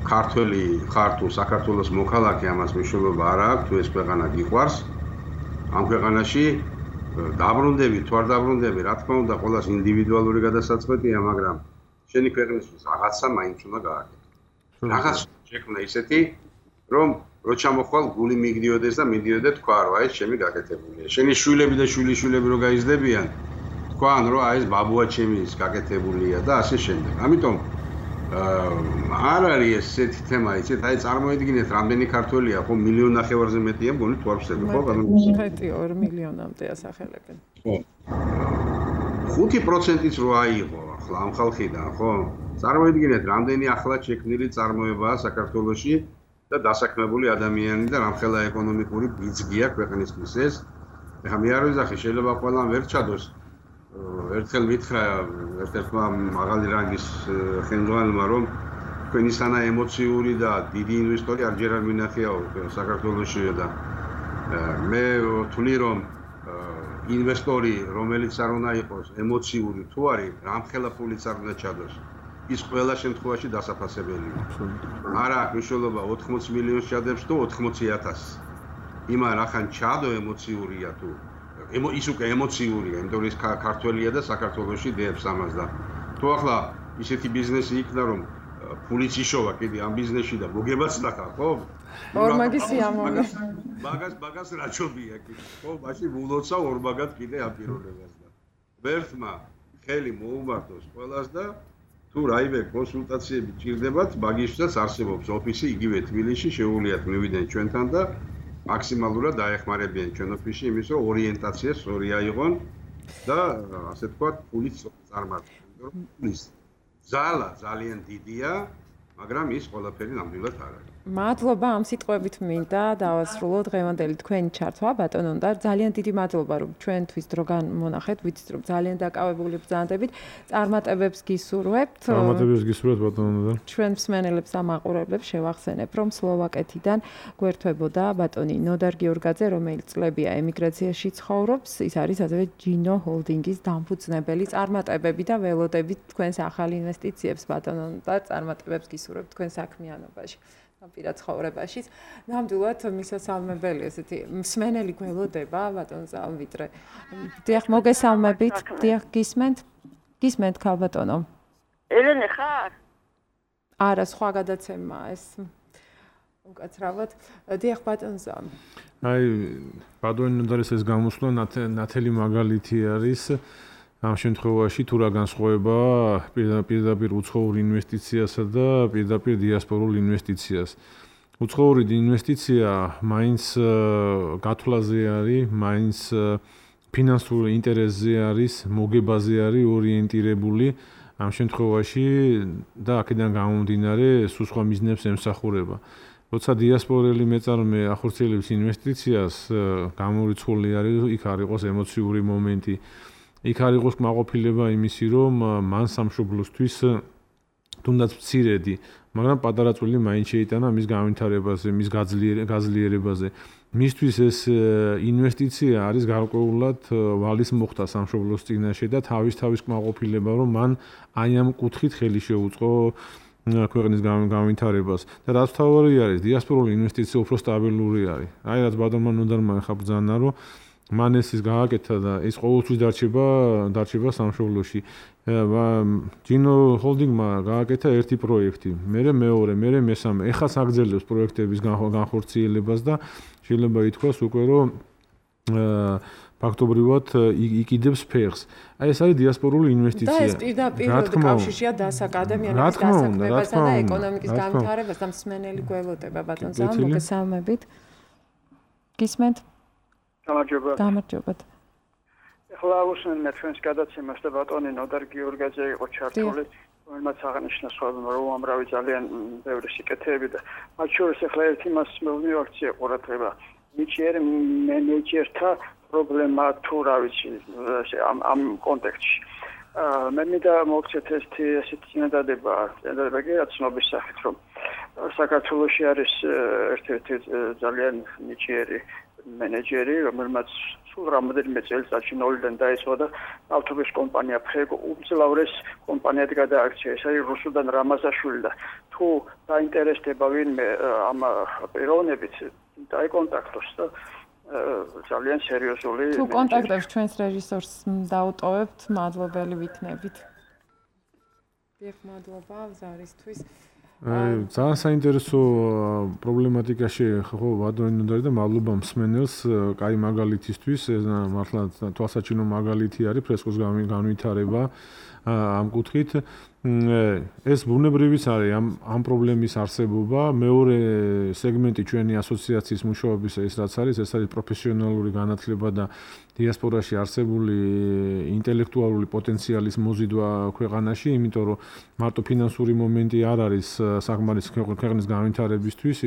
ქართველი ხარ თუ საქართველოს მოქალაქე ამას მნიშვნელობა არ აქვს, თუ ეს ქვეყანა გიყვარს. ამ ქვეყანაში დაბრუნდები თუ არ დაბრუნდები, რა თქმა უნდა, ყველას ინდივიდუალური გადასაწყვეტია, მაგრამ შენი ქვეყნისთვის რაღაცა მაინც უნდა გააკეთო. რაღაც შექმნა ისეთი, რომ რო ჩამოხვალ გული მიგდიოდეს და მიდიოდე თქვა რომ აი ეს ჩემი გაკეთებულია. შენი შვილები და შვილიშვილები რო გაიზრდებიან, თქვან რომ აი ეს ბაბუა ჩემი ის გაკეთებულია და ასე შემდეგ. ამიტომ არ არის ესეთი თემა, იცით, აი წარმოიდგინეთ, რამდენი ქართველია, ხო, მილიონ ნახევარზე მეტია, მგონი თუ არ ვსწრებ, ხო, ბატონო? მეტი ორ მილიონამდე ასახელებენ. ხო. ხუთი პროცენტიც რო აიღო ახლა ამ ხალხიდან, ხო? წარმოიდგინეთ, რამდენი ახლად შექმნილი წარმოებაა საქართველოში და დასაქმებული ადამიანი და რამხელა ეკონომიკური ბიძგია ქვეყნისთვის ეს. ეხლა მე არ ვიზახი, შეიძლება ყველამ ვერ ჩადოს. ერთხელ მითხრა ერთ-ერთმა მაღალი რანგის ხელმძღვანელმა, რომ თქვენი სანა ემოციური და დიდი ინვესტორი არჯერ არ მინახიაო საქართველოში და მე ვთვლი, რომ ინვესტორი, რომელიც არ უნდა იყოს ემოციური თუ არის, რამხელა ფულიც არ უნდა ჩადოს. ის ყველა შემთხვევაში დასაფასებელია. არა აქვს მნიშვნელობა ოთხმოცი მილიონს ჩადებს თუ ოთხმოცი ათასს. იმან რახან ჩადო ემოციურია თუ ის უკვე ემოციურია, იმიტომ რომ ის ქართველია და საქართველოში დებს ამას და თუ ახლა ისეთი ბიზნესი იქნა, რომ ფულიც იშოვა კიდე ამ ბიზნესში და მოგებაც ნახა, ხო? ორმაგი სიამოვნე. მაგას მაგას რა ჯობია კიდე, ხო? მაშინ ულოცა ორმაგად კიდე ამ პიროვნებას და ვერთმა ხელი მოუმართოს ყველას და თუ რაიმე კონსულტაციები ჭირდებათ, მაგისთვისაც არსებობს ოფისი იგივე თბილისში, შეუძლიათ მივიდნენ ჩვენთან და მაქსიმალურად დაეხმარებიან ჩვენ ოფისში იმის, რომ ორიენტაცია სწორი აიღონ და ასე ვთქვათ, ფულიც წარმართონ. ფულის ზალა ძალიან დიდია, მაგრამ ის ყველაფერი ნამდვილად არ არის. მადლობა ამ სიტყვებით მინდა დავასრულო დღევანდელი თქვენი ჩართვა ბატონო და ძალიან დიდი მადლობა რომ ჩვენთვის დრო განმონახეთ ვიცით რომ ძალიან დაკავებული ბრძანდებით წარმატებებს გისურვებთ წარმატებებს გისურვებთ ბატონო და ჩვენ მსმენელებს და მაყურებლებს შევახსენებ რომ სლოვაკეთიდან გვერდთვებოდა ბატონი ნოდარ გიორგაძე რომელიც წლებია ემიგრაციაში ცხოვრობს ის არის ასევე ჯინო ჰოლდინგის დამფუძნებელი წარმატებები და ველოდებით თქვენს ახალ ინვესტიციებს ბატონო და წარმატებებს გისურვებთ თქვენ საქმიანობაში პირად ცხოვრებაში. ნამდვილად მისასალმებელი ესეთი მსმენელი გველოდება ბატონ ზალვიტრე. დიახ, მოგესალმებით. დიახ, გისმენთ? გისმენთ ქალბატონო. ელენე ხარ? არა, სხვა გადაცემაა ეს. უკაცრავად. დიახ, ბატონ ზალ. აი, ბატონი ნოდარის ეს გამოსვლა ნათელი მაგალითი არის. ამ შემთხვევაში თუ რა განსხვავება პირდაპირ უცხოურ ინვესტიციასა და პირდაპირ დიასპორულ ინვესტიციას. უცხოური ინვესტიცია მაინც გათვლაზე არის, მაინც ფინანსურ ინტერესზე არის, მოგებაზე არის ორიენტირებული ამ შემთხვევაში და აქედან გამომდინარე სულ სხვა მიზნებს ემსახურება. როცა დიასპორელი მეწარმე ახორციელებს ინვესტიციას, გამორიცხული არის, იქ არ იყოს ემოციური მომენტი. იქ არ იყოს კმაყოფილება იმისი, რომ მან სამშობლოსთვის თუნდაც მცირედი, მაგრამ პატარა წვლილი მაინც შეიტანა მის განვითარებაზე, მის გაძლიერებაზე. მისთვის ეს ინვესტიცია არის გარკვეულად ვალის მოხდა სამშობლოს წინაშე და თავის თავის კმაყოფილება, რომ მან აი ამ კუთხით ხელი შეუწყო ქვეყნის განვითარებას. და რაც თავარი არის, დიასპორული ინვესტიცია უფრო სტაბილური არის. აი რაც ბატონმა ნოდარმა ხა ბრძანა, რომ მან ეს ის გააკეთა და ეს ყოველთვის დარჩება დარჩება სამშობლოში. ჯინო ჰოლდინგმა გააკეთა ერთი პროექტი, მერე მეორე, მერე მესამე. ეხაც აგრძელებს პროექტების განხორციელებას და შეიძლება ითქვას უკვე რომ ფაქტობრივად იკიდებს ფეხს. აი ეს არის დიასპორული ინვესტიცია. და ეს პირდაპირ კავშირშია დასაკადემიანების დასაქმებასა და ეკონომიკის განვითარებას და მსმენელი გველოდება ბატონ ზალ მოგესალმებით. გისმენთ? გამარჯობა. გამარჯობათ. ეხლა უსმენთ ჩვენს გადაცემას და ბატონი ნოდარ გიორგაძე იყო ჩართული, რომელმაც აღნიშნა სხვა რომ ამრავი ძალიან ბევრი სიკეთეები და მათ შორის ეხლა ერთი მას მოვიაქცია ყურადღება. ნიჭიერ მენეჯერთა პრობლემა თუ რა ვიცი ამ ამ კონტექსტში. მე მინდა მოგცეთ ესეთი ესეთი წინადადება, წინადადება კი ცნობის სახით რომ საქართველოში არის ერთ-ერთი ძალიან ნიჭიერი მენეჯერი, რომელმაც სულ რამოდენიმე წელიწადში ნოლიდან დაიწყო და ავტობუს კომპანია ფრეგო უმძლავრეს კომპანიად გადააქცია. ეს არის რუსუდან რამაზაშვილი და თუ დაინტერესდება ვინმე ამ პიროვნებით, დაიკონტაქტოს და ძალიან სერიოზული თუ კონტაქტებს ჩვენს რეჟისორს დაუტოვებთ, მადლობელი ვიქნებით. დიახ, მადლობა ზარისთვის. ძალიან საინტერესო პრობლემატიკაში ხო ბატონი ნოდარი და მადლობა მსმენელს კაი მაგალითისთვის ეს მართლა თვალსაჩინო მაგალითი არის ფრესკოს განვითარება ამ კუთხით ეს ბუნებრივიც არის ამ ამ პრობლემის არსებობა მეორე სეგმენტი ჩვენი ასოციაციის მუშაობისა ის რაც არის ეს არის პროფესიონალური განათლება და დიასპორაში არსებული ინტელექტუალური პოტენციალის მოზიდვა ქვეყანაში იმიტომ რომ მარტო ფინანსური მომენტი არ არის საკმარის ქვეყნის განვითარებისთვის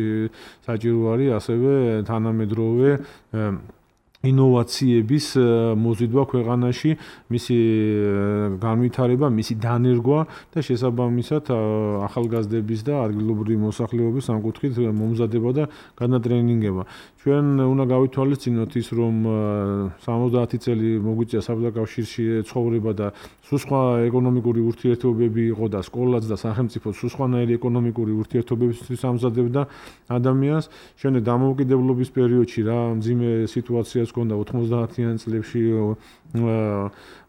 საჭირო არის ასევე თანამედროვე ინოვაციების მოზიდვა ქვეყანაში, მისი განვითარება, მისი დანერგვა და შესაბამისად ახალგაზრდების და ადგილობრივი მოსახლეობის სამკუთხედ მომზადება და განატრენინგება. ჩვენ უნდა გავითვალისწინოთ ის, რომ სამოცდაათი წელი მოგვიწია საბჭოთა ცხოვრება და სულ სხვა ეკონომიკური ურთიერთობები იყო და სკოლაც და სახელმწიფო სულ სხვანაირი ეკონომიკური ურთიერთობებისთვის ამზადებდა ადამიანს. შემდეგ დამოუკიდებლობის პერიოდში რა მძიმე სიტუაციაც ჰქონდა ოთხმოცდაათიან წლებში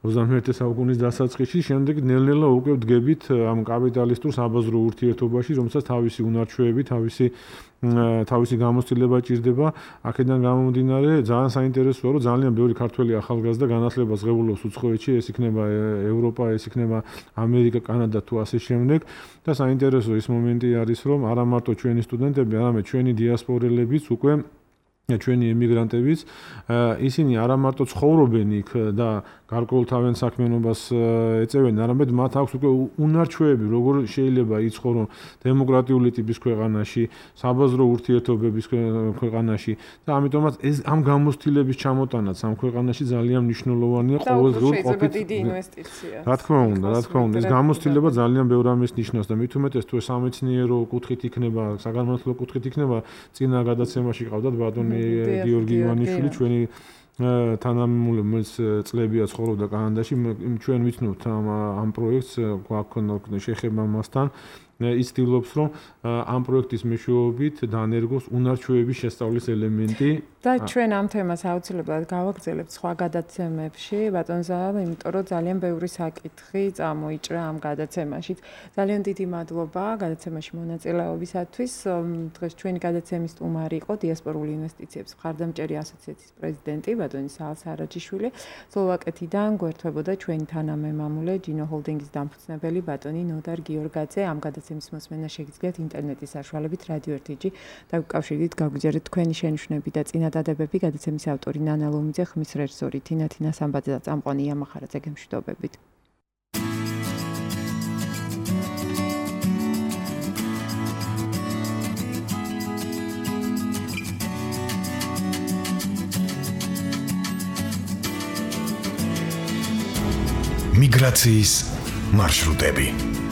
ოცდამეერთე საუკუნის დასაწყისში, შემდეგ ნელ-ნელა უკვე ვდგებით ამ კაპიტალისტურ საბაზრო ურთიერთობაში, რომელსაც თავისი უნარჩვევები, თავისი თავისი გამოცდილება ჭირდება. აქედან გამომდინარე, ძალიან საინტერესოა, რომ ძალიან ბევრი ქართველი ახალგაზრდა განათლებას ღებულობს უცხოეთში, ეს იქნება ევროპა, ეს იქნება ამერიკა, კანადა თუ ასე შემდეგ. და საინტერესო ის მომენტი არის, რომ არა მარტო ჩვენი სტუდენტები, არამედ ჩვენი დიასპორელებიც უკვე ჩვენი ემიგრანტებიც ისინი არა მარტო ცხოვრობენ იქ და გარკვეულ თავიანთ საქმიანობას ეწევენ, არამედ მათ აქვს უკვე უნარჩვევები, როგორ შეიძლება იცხოვრონ დემოკრატიული ტიპის ქვეყანაში, საბაზრო ურთიერთობების ქვეყანაში და ამიტომაც ეს ამ გამოცდილების ჩამოტანაც ამ ქვეყანაში ძალიან მნიშვნელოვანია ყოველდღიურ ყოფით. დიდი ინვესტიცია. რა თქმა უნდა, რა თქმა უნდა, ეს გამოცდილება ძალიან ბევრ ამის ნიშნავს და მით უმეტეს თუ სამეცნიერო კუთხით იქნება, საგანმანათლებლო კუთხით იქნება, წინა გადაცემაში ყავდათ ბატონი გიორგი ივანიშვილი, ჩვენი თანამემამულე წლებია ცხოვრობდა კანადაში, ჩვენ ვიცნობთ ამ ამ პროექტს, გვაქვს შეხება მასთან. ის ცდილობს, რომ ამ პროექტის მეშვეობით დაანერგოს უნარჩვევების შესწავლის ელემენტი. და ჩვენ ამ თემას აუცილებლად გავაგრძელებთ სხვა გადაცემებში, ბატონზა, იმიტომ რომ ძალიან ბევრი საკითხი წამოიჭრა ამ გადაცემაშიც. ძალიან დიდი მადლობა გადაცემაში მონაწილეობისათვის. დღეს ჩვენი გადაცემის სტუმარი იყო დიასპორული ინვესტიციების მხარდამჭერი ასოციაციის პრეზიდენტი ბატონი საალ სარაჯიშვილი. სლოვაკეთიდან გვერდებოდა ჩვენი თანამემამულე ჯინო ჰოლდინგის დამფუძნებელი ბატონი ნოდარ გიორგაძე. ამ გადაცემის მოსმენა შეგიძლიათ ინტერნეტის საშუალებით რადიო ერთი ჯი დაკავშირებით გაგვიჯერეთ თქვენი შენიშვნები და წინადადებები. გადაცემის ავტორი ნანა ლომიძე, ხმის რეჟისორი თინათინა სამბაძე და წამყვანი იამა ხარაძე გემშვიდობებით. მიგრაციის მარშრუტები